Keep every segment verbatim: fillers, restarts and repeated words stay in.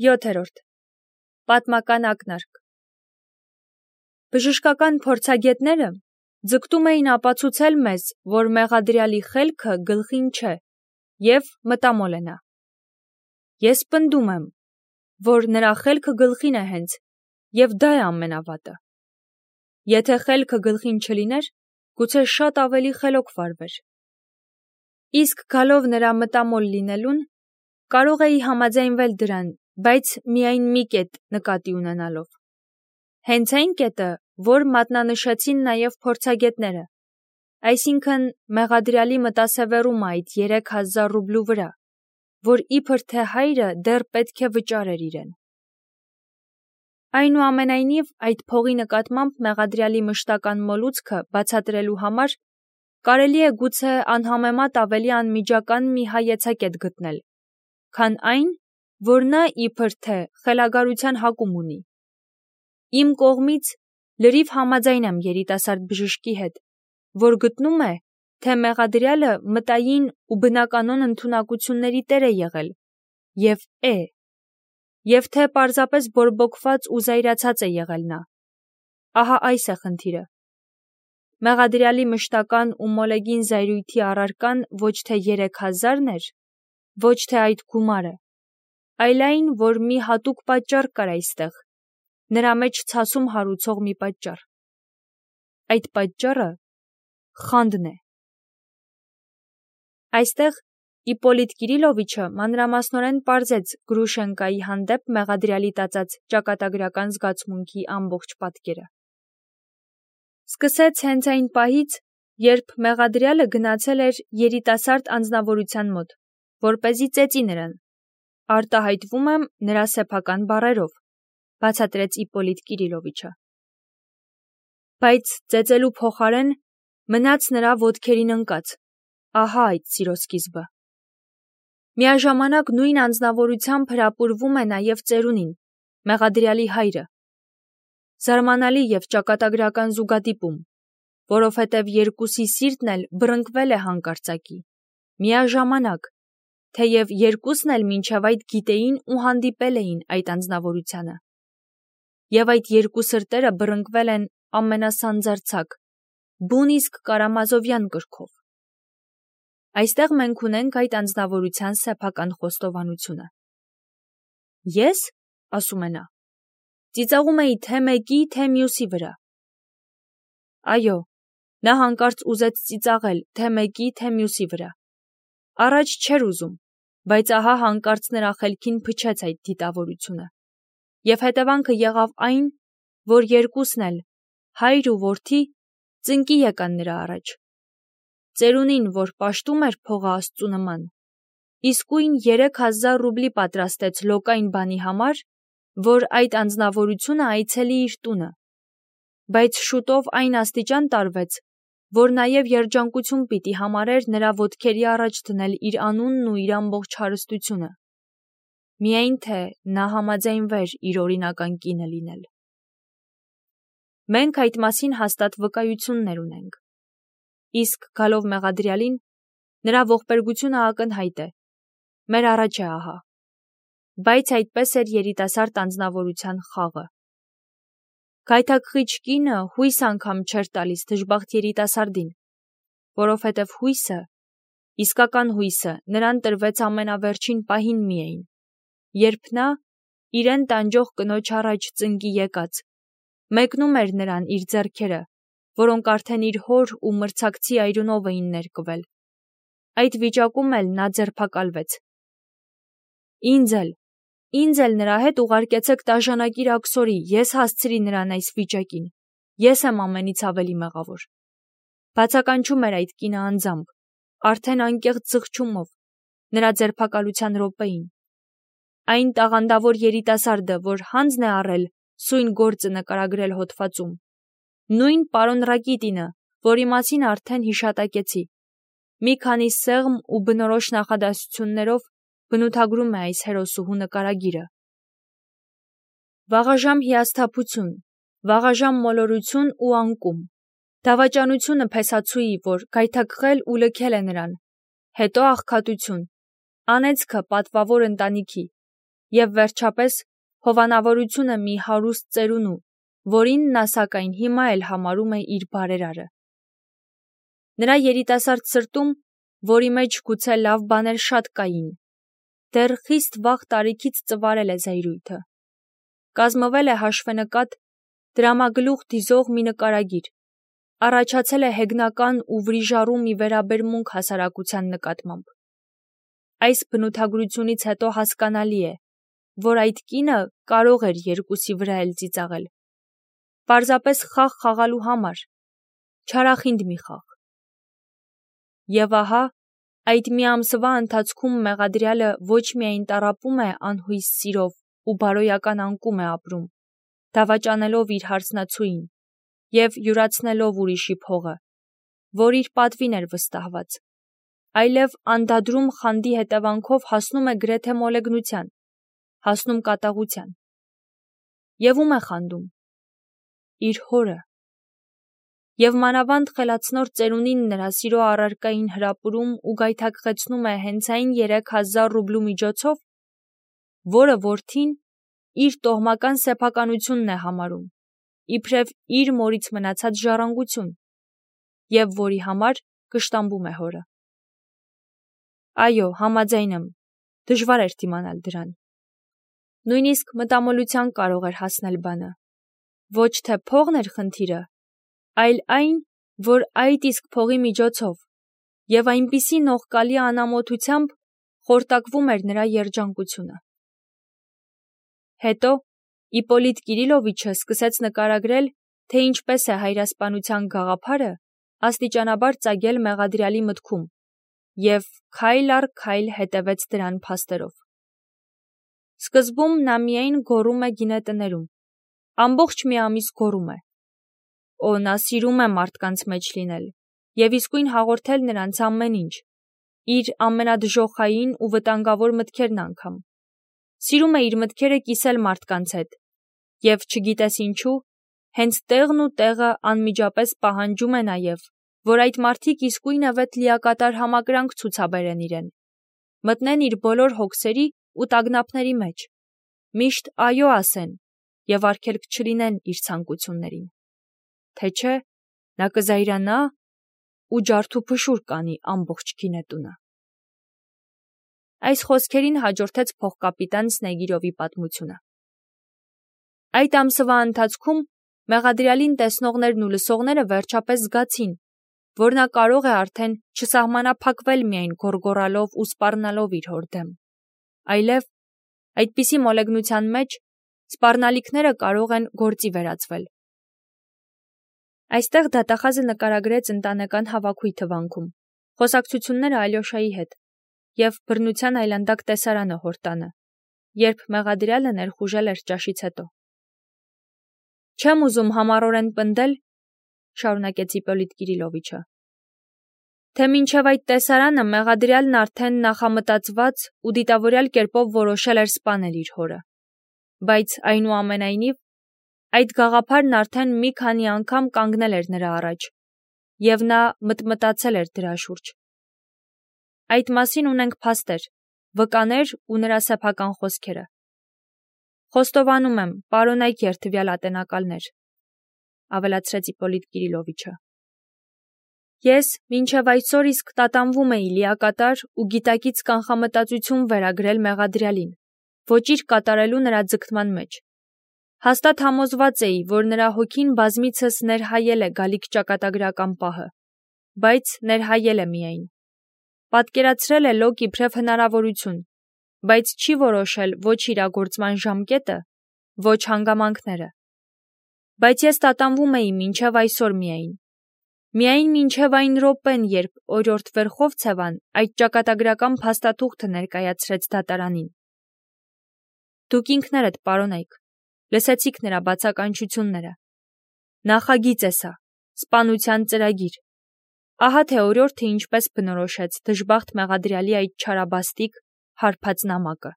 յոթերորդ. Պատմական ակնարկ։ Բժշկական փորձագետները ձգտում էին ապացուցել մեզ, որ մեղադրյալի խելքը գլխին չէ և մտամոլ է նա։ Ես պնդում եմ, որ նրա խելքը գլխին է հենց, և դա է ամենավատը։ Եթե խելքը գլխին չլիներ, գուցե շատ ավելի խելոք վարվեր։ Իսկ գալով նրա մտամոլ լինելուն, կարող էի համաձայնվել դրան, բայց միայն մի կետ նկատի ունենալով։ Հենց այն կետը, որ մատնանշեցին նաև փորձագետները, այսինքն մեղադրյալի մտասևեռումը այդ երեք հազար ռուբլու վրա, որ իբր թե հայրը դեռ պետք է վճարեր իրեն։ Այնուամենայնիվ, այդ փողի նկատմամբ մեղադրյալի մշտական մոլուցքը բացատրելու համար կարելի է գուցե անհամեմատ ավելի անմիջական մի հայեցակետ գտնել, քան այն, որ նա իբր թե խելագարության հակում ունի։ Իմ կողմից լրիվ համաձայն եմ երիտասարդ բժշկի հետ, որ գտնում է, թե մեղադրյալը մտային ու բնականոն ընդունակությունների տեր է եղել և է, և թե պարզապես բորբոքված ու զայրացած է եղել նա։ Ահա այս է խնդիրը։ Մեղադրյալի մշտական ու մոլեգին զայրույթի առարկան ոչ թե երեք հազարն էր, ոչ թե այդ գումարը, այլ այն, որ մի հատուկ պատճառ կար այստեղ, նրա մեջ ցասում հարուցող մի պատճառ։ Այդ պատճառը խանդն է։ Այստեղ Իպոլիտ Կիրիլովիչը մանրամասնորեն պարզեց Գրուշենկայի հանդեպ մեղադրյալի տածած ճակատագրական զգացմունքի ամբողջ պատկերը։ Սկսեց հենց այն պահից, երբ մեղադրյալը գնացել էր երիտասարդ անձնավորության մոտ, որպեսզի ծեծի նրան, արտահայտվում եմ նրա սեփական բառերով, բացատրեց Իպոլիտ Կիրիլովիչը։ Բայց ծեծելու փոխարեն մնաց նրա ոտքերին ընկած, ահա այդ սիրո սկիզբը։ Միաժամանակ նույն անձնավորությամբ հրապուրվում է նաև ծերունին, մեղադրյալի հայրը։ Զարմանալի և ճակատագրական զուգադիպում, որովհետև երկուսի սիրտն էլ բռնկվել է հանկարծակի, միաժամանակ, թեև երկուսն էլ մինչև այդ գիտեին ու հանդիպել էին այդ անձնավորությանը։ Եվ այդ երկու սրտերը բռնկվել են ամենասանձարձակ, բուն իսկ կարամազովյան կրքով։ Այստեղ մենք ունենք այդ անձնավորության սեփական խոստովանությունը։ Ես, ասում է նա, ծիծաղում էի թե մեկի, թե մյուսի վրա։ Այո, նա հանկարծ ուզեց ծիծաղել թե մեկի, թե մյուսի վրա։ Առաջ չէր ուզում, բայց ահա հանկարծ նրա խելքին փչեց այդ դիտավորությունը։ Եվ հետևանքը եղավ այն, որ երկուսն էլ, հայր ու որդի, ծնկի եկան նրա առաջ։ Ծերունին, որ պաշտում էր փողը Աստծու նման, իսկույն երեք հազար ռուբլի պատրաստեց լոկային բանի համար, որ այդ անձնավորությունը այցելի իր տունը, բայց շուտով այն աստիճան տարվեց, որ նաև երջանկություն պիտի համարեր նրա ոտքերի առաջ դնել իր անունն ու իր ամբողջ հարստությունը, միայն թե նա համաձայնվեր իր օրինական կինը լինել։ Մենք այդ մասին հաստատ վկայություններ ունենք։ Իսկ գալով մեղադրյալին, նրա ողբերգությունը ակնհայտ է, մեր առաջ է ահա։ Բայց այդպես էր երիտասարդ անձնավորության խաղը։ Գայթակղիչ կինը հույս անգամ չէր տալիս դժբախտ երիտասարդին, որովհետև հույսը, իսկական հույսը նրան տրվեց ամենավերջին պահին միայն, երբ նա, իրեն տանջող կնոջ առաջ ծնկի եկած, մեկնում էր նրան իր ձեռքերը, որոնք արդեն իր հոր ու մրցակցի այրունով էին ներկվել։ Այդ վիճակում էլ նա ձերբակալվեց։ Ինձ էլ, ինձ էլ նրա հետ ուղարկեցեք տաժանակիր աքսորի, ես հասցրի նրան այս վիճակին, ես եմ ամենից ավելի մեղավոր։ Բացականչում էր այդ կինը անձամբ, արդեն անկեղծ զղջումով, նրա ձերբակալության րոպեին։ Այն տաղանդավոր երիտասարդը, որ հանձն է առել սույն գործը նկարագրել հոդվածում, նույն պարոն Ռակիտինը, որի մասին արդեն հիշատակեցի, մի քանի սեղմ ու բնորոշ նախադասություններով բնութագրում է այս հերոսուհու նկարագիրը։ Վաղաժամ հիասթափություն, վաղաժամ մոլորություն ու անկում, դավաճանությունը փեսացուի, որ գայթակղել ու լքել է նրան, հետո աղքատություն, անեծքը պատվավոր ընտանիքի, և վերջապես հովանավորությունը մի հարուստ ծերունու, որին նա սակայն հիմա էլ համարում է իր բարերարը։ Նրա երիտասարդ սրտում, որի մեջ գուցե լավ բաներ շատ կային, դեռ խիստ վաղ տարիքից ծվարել է զայրույթը։ Կազմվել է հաշվենկատ, դրամագլուխ դիզող մի նկարագիր, առաջացել է հեգնական ու վրիժառու մի վերաբերմունք հասարակության նկատմամբ։ Այս բնութագրությունից հետո հասկանալի է, որ այդ կինը կարող էր երկուսի վրա էլ ծիծաղել, պարզապես խաղ խաղալու համար, չարախինդ մի խաղ։ Եվ ահա, այդ մի ամսվա ընթացքում մեղադրյալը ոչ միայն տառապում է անհույս սիրով ու բարոյական անկում է ապրում, դավաճանելով իր հարսնացուին և յուրացնելով ուրիշի փողը, որ իր պատվին էր վստահված, այլև անդադրում խանդի հետևանքով հասնում է գրեթե մոլեգնության, հասնում կատաղության։ Եվ ում է խանդում։ Իր հորը։ Եվ մանավանդ խելացնոր ծերունին նրա սիրո առարկային հրապուրում ու գայթակղեցնում է հենց այն երեք հազար ռուբլու միջոցով, որը որդին իր տոհմական սեփականությունն է համարում, իբրև իր մորից մնացած ժառանգություն, և որի համար կշտամբում է հորը։ Այո, համաձայն եմ, դժվար էր դիմանալ դրան։ Նույնիսկ մտամոլության կարող էր հասնել բանը։ Ոչ թե փողն էր խնդիրը, այլ այն, որ այդ իսկ փողի միջոցով և այնպիսի նողկալի անամոթությամբ խորտակվում էր նրա երջանկությունը։ Հետո Իպոլիտ Կիրիլովիչը սկսեց նկարագրել, թե ինչպես է հայրասպանության գաղափարը աստիճանաբար ծագել մեղադրյալի մտքում և քայլ առ քայլ հետևեց դրան փաստերով։ Սկզբում նա միայն գոռում է գինետներում, ամբողջ մի ամիս գոռում է. Օ, նա սիրում է մարդկանց մեջ լինել և իսկույն հաղորդել նրանց ամեն ինչ, իր ամենադժոխային ու վտանգավոր մտքերն անգամ։ Սիրում է իր մտքերը կիսել մարդկանց հետ, և չգիտես ինչու, հենց տեղն ու տեղը անմիջապես պահանջում է նաև, որ այդ մարդիկ իսկույնևեթ լիակատար համակրանք ցուցաբերեն իրեն, մտնեն իր բոլոր հոգսերի ու տագնապների մեջ, միշտ այո ասեն և արգելք չլինեն իր ցանկություններին, թե չէ նա կզայրանա ու ջարդուփշուր կանի ամբողջ գինետունը։ Այս խոսքերին հաջորդեց փոխկապիտան Սնեգիրովի պատմությունը։ Այդ ամսվա ընթացքում մեղադրյալին տեսնողներն ու լսողները վերջապես զգացին, որ նա կարող է արդեն չսահմանափակվել միայն գոռգոռալով ու սպառնալով իր հոր դեմ, այլև այդպիսի մոլեգնության մեջ սպառնալիքները կարող են գործի վերածվել։ Այստեղ դատախազը նկարագրեց ընտանեկան հավաքույթը վանքում, խոսակցությունները Ալյոշայի հետ և բռնության այլանդակ տեսարանը հոր տանը, երբ մեղադրյալը ներխուժել էր ճաշից հետո։ Չեմ ուզում համառորեն պնդել, շարունակեց Իպոլիտ Կիրիլովիչը, թե մինչև այդ տեսարանը մեղադրյալն արդեն նախամտածված ու դիտավորյալ կերպով որոշել էր սպանել իր հորը, բայց այնուամենայնիվ այդ գաղափարն արդեն մի քանի անգամ կանգնել էր նրա առաջ, և նա մտմտացել էր դրա շուրջ։ Այդ մասին ունենք փաստեր, վկաներ ու նրա սեփական խոսքերը։ Խոստովանում եմ, պարոնայք երդվյալ ատենակալներ, ավելացրեց Իպոլիտ Կիրիլովիչը։ Ես մինչև այսօր իսկ տատանվում էի լիակատար ու գիտակից կանխամտածություն վերագրել մեղադրյալին, ոչ իր կատարելու նրա ձգտման մեջ։ Հաստատ համոզված էի, որ նրա հոգին բազմիցս ներհայել է գալիք ճակատագրական պահը, բայց ներհայել է միայն։ Պատկերացրել է լոկ իբրև հնարավորություն, բայց չի որոշել ոչ իրագործման ժամկետը, ոչ հանգամանքները։ Բայց ես տատանվում էի մինչև այսօր միայն։ Միայն մինչև այն րոպեն, երբ օրիորդ Վերխովցևան այդ ճակատագրական փաստաթուղթը ներկայացրեց դատարանին։ Դուք ինքներդ, պարոնայք, լսեցիք նրա բացականչությունները։ Նախագիծ է սա, սպանության ծրագիր։ Ահա թե օրիորդը ինչպես բնորոշեց դժբախտ մեղադրյալի այդ չարաբաստիկ, հարբած նամակը։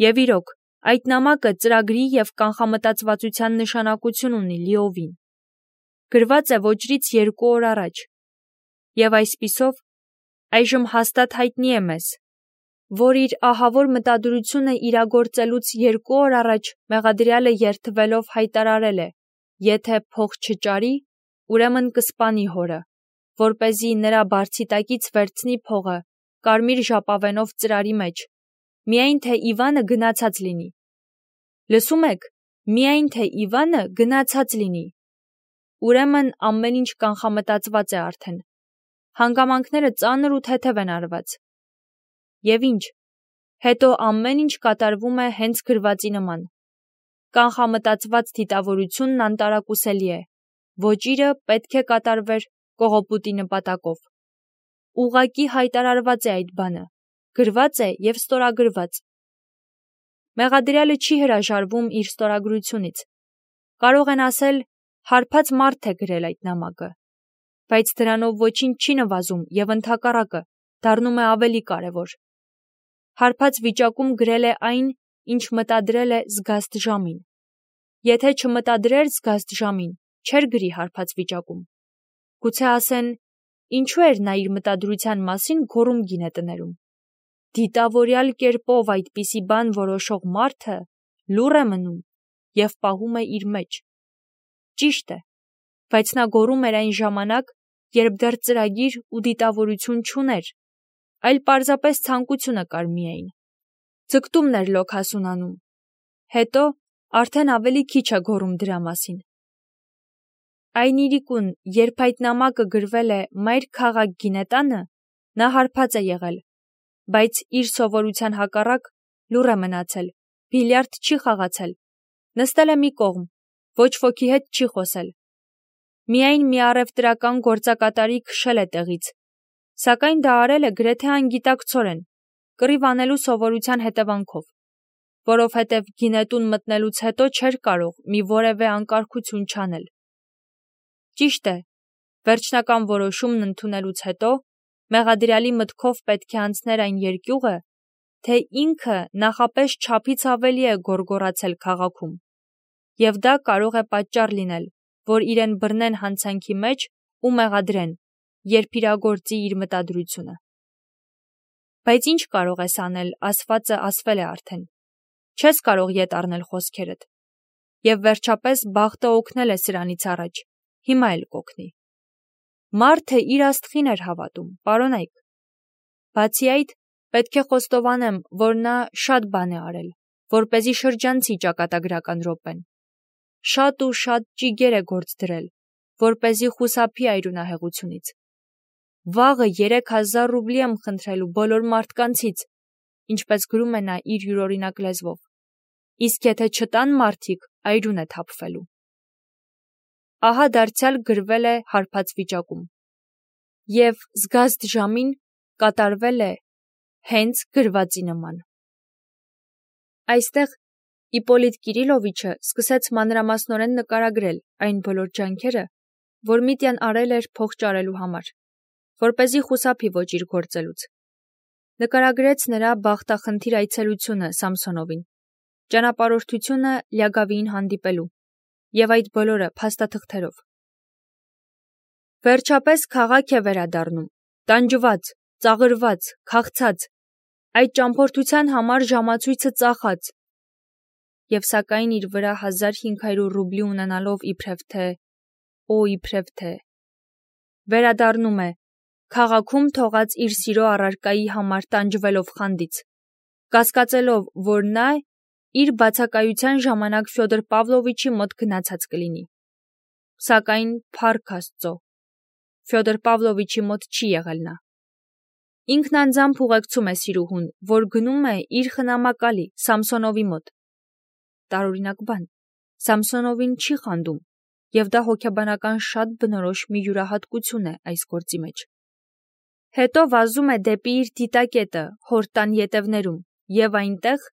Եվ իրոք, այդ նամակը ծրագրի և կանխամտածվածության նշանակություն ունի լիովին։ Գրված է ոճրից երկու օր առաջ, և այսպիսով այժմ հաստատ հայտնի է մեզ, որ իր ահավոր մտադրությունը իրագործելուց երկու օր առաջ մեղադրյալը երդվելով հայտարարել է. եթե փող չճարի, ուրեմն կսպանի հորը, որպեսզի նրա բարձիտակից վերցնի փողը, կարմիր ժապավենով ծրարի մեջ, միայն թե Իվանը գնացած լինի։ Լսում եք, միայն թե Իվանը գնացած լինի։ Ուրեմն ամեն ինչ կանխամտածված է արդեն։ Հանգամանքները ծանր ու թեթև են արված։ Եվ ինչ, հետո ամեն ինչ կատարվում է հենց գրվածի նման։ Կանխամտածված դիտավորությունն անտարակուսելի է, ոճիրը պետք է կատարվեր կողոպուտի նպատակով։ Ուղղակի հայտարարված է այդ բանը, գրված է և ստորագրված։ Մեղադրյալը չի հրաժարվում իր ստորագրությունից։ Կարող են ասել, հարբած մարդ է գրել այդ նամակը, բայց դրանով ոչինչ չի նվազում և ընդհակառակը դառնում է ավելի կարևոր։ Հարբած վիճակում գրել է այն, ինչ մտադրել է զգաստ ժամին։ Եթե չմտադրեր զգաստ ժամին, չէր գրի հարբած վիճակում։ Գուցե ասեն, ինչու էր նա իր մտադրության մասին գոռում գինետներում։ Դիտավորյալ կերպով այդպիսի բան որոշող մարդը լուռ է մնում և պահում է իր մեջ։ Ճիշտ է, բայց նա գոռում էր այն ժամանակ, երբ դեռ ծրագիր ու դիտավորություն չուներ, այլ պարզապես ցանկությունը կար միայն։ Ձգտումն էր լոքասուն անում։ Հետո արդեն ավելի քիչ է գոռում դրա մասին։ Այն իրիկուն, երբ այդ նամակը գրվել է Մայր քաղաք Գինետանը, նա հարբած է եղել, բայց իր սովորության հակառակ լուռ է մնացել, բիլիարդ չի խաղացել, նստել է մի կողմ, ոչ ոքի հետ չի խոսել։ Միայն մի առևտրական գործակատարի քշել է տեղից, սակայն դա արել է գրեթե անգիտակցորեն, կռիվ անելու սովորության հետևանքով, որովհետև գինետուն մտնելուց հետո չէր կարող մի որևէ անկարգություն չանել։ Ճիշտ է, վերջնական որոշումն ընդունելուց հետո մեղադրյալի մտքով պետք է անցներ այն երկյուղը, թե ինքը նախապես չափից ավելի է գոռգոռացել քաղաքում, և դա կարող է պատճառ լինել, որ իրեն բռնեն հանցանքի մեջ ու մեղադրեն, երբ իրագործի իր մտադրությունը։ Բայց ինչ կարող ես անել, ասվածը ասվել է արդեն։ Չես կարող ետ առնել խոսքերդ։ Եվ վերջապես բախտը օգնել է սրանից առաջ, հիմա էլ կօգնի։ Մարդը իր աստղին էր հավատում, պարոնայք։ Բացի այդ, պետք է խոստովանեմ, որ նա շատ բան է արել, որպեսզի շրջանցի ճակատագրական րոպեն։ Շատ ու շատ ճիգեր է գործ դրել, որպեսզի խուսափի այրունահեղությունից։ Վաղը երեք հազար ռուբլի եմ խնդրելու բոլոր մարդկանցից, ինչպես գրում է նա իր յուրօրինակ լեզվով, իսկ եթե չտան մարդիկ, այրուն է թափվելու։ Ահա դարձյալ գրվել է հարբած վիճակում։ Եվ զգաստ ժամին կատարվել է հենց գրվածի նման։ Այստեղ Իպոլիտ Կիրիլովիչը սկսեց մանրամասնորեն նկարագրել այն բոլոր ջանքերը, որ Միտյան արել էր փող ճարելու համար, որպեսզի խուսափի ոճիր գործելուց։ Նկարագրեց նրա բախտախնդիր այցելությունը Սամսոնովին, ճանապարհորդությունը Լյագավիին հանդիպելու, և այդ բոլորը փաստաթղթերով։ Վերջապես քաղաք է վերադառնում, տանջված, ծաղրված, քաղցած, այդ ճամփորդության համար ժամացույցը ծախած, և սակայն իր վրա հազար հինգ հարյուր ռուբլի ունենալով իբրև թե, օ իբրև թե, վերադառնում է, քաղաքում թողած իր սիրո առարկայի համար տանջվելով խանդից, կասկածելով, որ նա իր բացակայության ժամանակ Ֆյոդոր Պավլովիչի մոտ գնացած կլինի։ Սակայն փառք Աստծո, Ֆյոդոր Պավլովիչի մոտ չի եղել նա։ Ինքն անձամբ ուղեկցում է սիրուհուն, որ գնում է իր խնամակալի Սամսոնովի մոտ։ Տարօրինակ բան, Սամսոնովին չի խանդում, և դա հոգեբանական շատ բնորոշ մի յուրահատկություն է այս գործի մեջ։ Հետո վազում է դեպի իր դիտակետը հոր տան ետևներում, և այնտեղ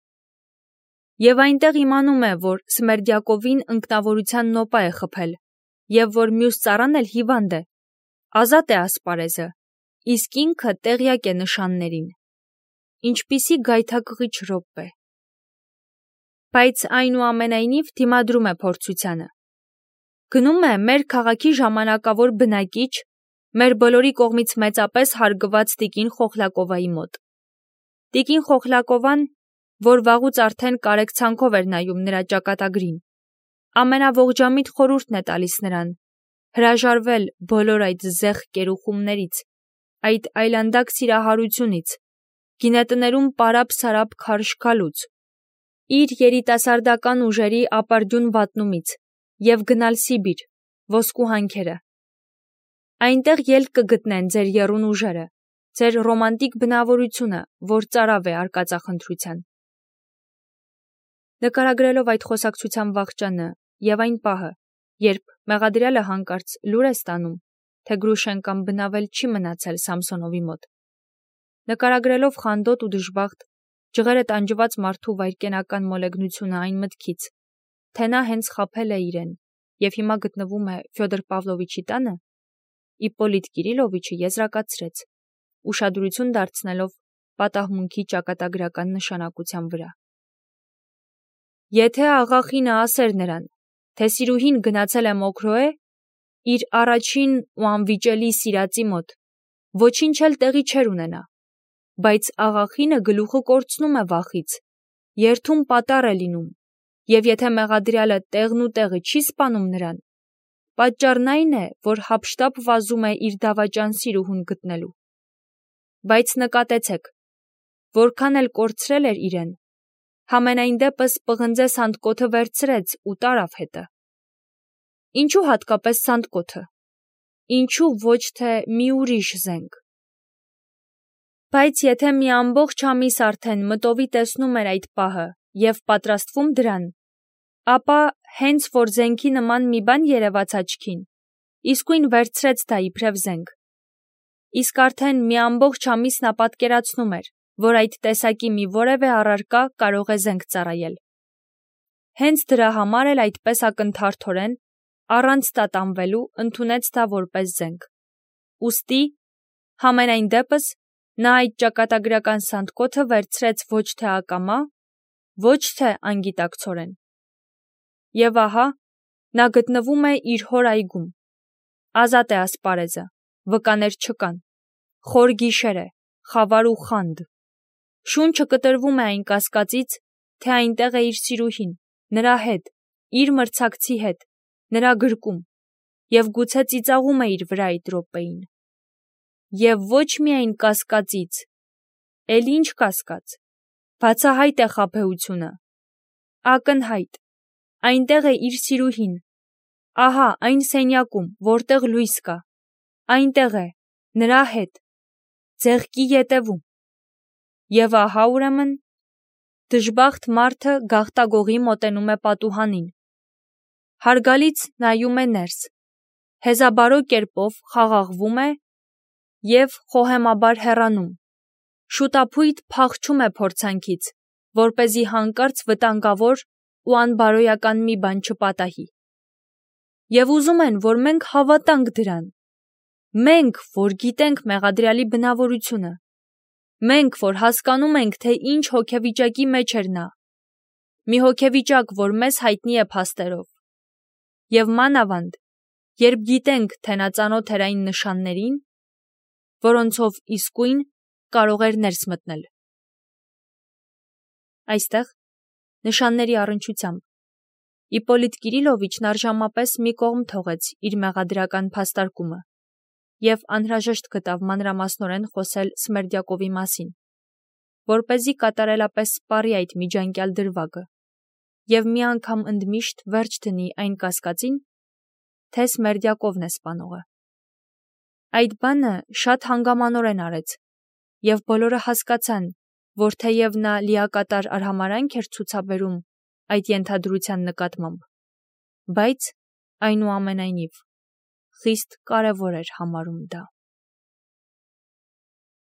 Եվ այնտեղ իմանում է, որ Սմերդյակովին ընկնավորության նոպա է խփել, և որ մյուս ծառան էլ հիվանդ է, ազատ է ասպարեզը, իսկ ինքը տեղյակ է նշաններին։ Ինչպիսի գայթակղիչ րոպե։ Բայց այնուամենայնիվ դիմադրում է փորձությանը։ Գնում է մեր քաղաքի ժամանակավոր բնակիչ, մեր բոլորի կողմից մեծապես հարգված տիկին Խոխլակովայի մոտ։ Տիկին Խոխլակովան, որ վաղուց արդեն կարեկցանքով էր նայում նրա ճակատագրին, ամենաողջամիտ խորհուրդն է տալիս նրան հրաժարվել բոլոր այդ զեղ կերուխումներից, այդ այլանդակ սիրահարությունից, գինետներում պարապ-սարապ քարշքալուց, իր երիտասարդական ուժերի ապարդյուն վատնումից և գնալ Սիբիր, ոսկու հանքերը։ Այնտեղ ելք կգտնեն ձեր եռուն ուժերը, ձեր ռոմանտիկ բնավորությունը, որ ծարավ է արկածախնդրության։ Նկարագրելով այդ խոսակցության վախճանը և այն պահը, երբ Մեղադրյալը հանկարծ լուր է ստանում, թե Գրուշենկան բնավել չի մնացել Սամսոնովի մոտ, նկարագրելով խանդոտ ու դժբախտ, ջղերը տանջված մարդու վայրկենական մոլեգնությունը այն մտքից, թե նա հենց խաբել է իրեն և հիմա գտնվում է Ֆյոդոր Պավլովիչի տանը, Իպպոլիտ Կիրիլովիչը եզրակացրեց, ուշադրություն դարձնելով պատահմունքի ճակատագրական նշանակության վրա։ Եթե աղախինը ասեր նրան, թե սիրուհին գնացել է Մոքրոե, իր առաջին ու անվիճելի սիրածի մոտ, ոչինչ էլ տեղի չէր ունենա, բայց աղախինը գլուխը կորցնում է վախից, երթում պատառ է լինում, և եթե Մեղադրյալը տեղն ու տեղը չի սպանում նրան, պատճառն այն է, որ հափշտապ վազում է իր դավաճան սիրուհուն գտնելու։ Բայց նկատեցեք, որքան էլ կորցրել էր իրեն, համենայն դեպս պղնձե սանդկոթը վերցրեց ու տարավ հետը։ Ինչու հատկապես սանդկոթը, ինչու ոչ թե մի ուրիշ զենք։ Բայց եթե մի ամբողջ ամիս արդեն մտովի տեսնում էր այդ պահը և պատրաստվում դրան, ապա հենց որ զենքի նման մի բան երևաց աչքին, իսկույն վերցրեց դա իբրև զենք։ Իսկ արդեն մի ամբողջ ամիս նա պատկերացնում էր, որ այդ տեսակի մի որևէ առարկա կարող է զենք ծառայել։ Հենց դրա համար էլ այդպես ակնթարթորեն, առանց տատանվելու ընդունեց դա որպես զենք։ Ուստի, համենայն դեպս, նա այդ ճակատագրական սանդկոթը վերցրեց ոչ թե ակամա, ոչ թե անգիտակցորեն։ Եվ ահա, նա գտնվում է իր հոր այգում։ Ազատ է ասպարեզը, վկաներ չկան, խոր գիշեր է, խավար ու խանդ։ Շունչը կտրվում է այն կասկածից, թե այնտեղ է իր սիրուհին, նրա հետ, իր մրցակցի հետ, նրա գրկում, և գուցե ծիծաղում է իր վրա այդ րոպեին։ Եվ ոչ միայն կասկածից, էլ ինչ կասկած, բացահայտ է խաբեությունը, ակնհայտ, այնտեղ է իր սիրուհին, ահա այն սենյակում, որտեղ լույս կա, այնտեղ է, նրա հետ, ձեղքի ետևում։ Եվ ահա ուրեմն, դժբախտ մարդը գաղտագողի մոտենում է պատուհանին, հարգալից նայում է ներս, հեզաբարո կերպով խաղաղվում է և խոհեմաբար հեռանում, շուտափույթ փախչում է փորձանքից, որպեսզի հանկարծ վտանգավոր ու անբարոյական մի բան չպատահի։ Եվ ուզում են, որ մենք հավատանք դրան, մենք, որ գիտենք Մեղադրյալի բնավորությունը, մենք, որ հասկանում ենք, թե ինչ հոգեվիճակի մեջ էր նա, մի հոգեվիճակ, որ մեզ հայտնի է փաստերով, և մանավանդ, երբ գիտենք, թե նա ծանոթ էր այն նշաններին, որոնցով իսկույն կարող էր ներս մտնել։ Այստեղ, նշանների առնչությամբ, Իպպոլիտ Կիրիլովիչն առժամապես մի կողմ թողեց իր մեղադրական փաստարկումը և անհրաժեշտ գտավ մանրամասնորեն խոսել Սմերդյակովի մասին, որպեսզի կատարելապես սպառի այդ միջանկյալ դրվագը և մի անգամ ընդմիշտ վերջ դնի այն կասկածին, թե Սմերդյակովն է սպանողը։ Այդ բանը շատ հանգամանորեն արեց, և բոլորը հասկացան, որ թեև նա լիակատար արհամարհանք էր ցուցաբերում այդ ենթադրության նկատմամբ, բայց, այնուամենայնիվ, խիստ կարևոր էր համարում դա։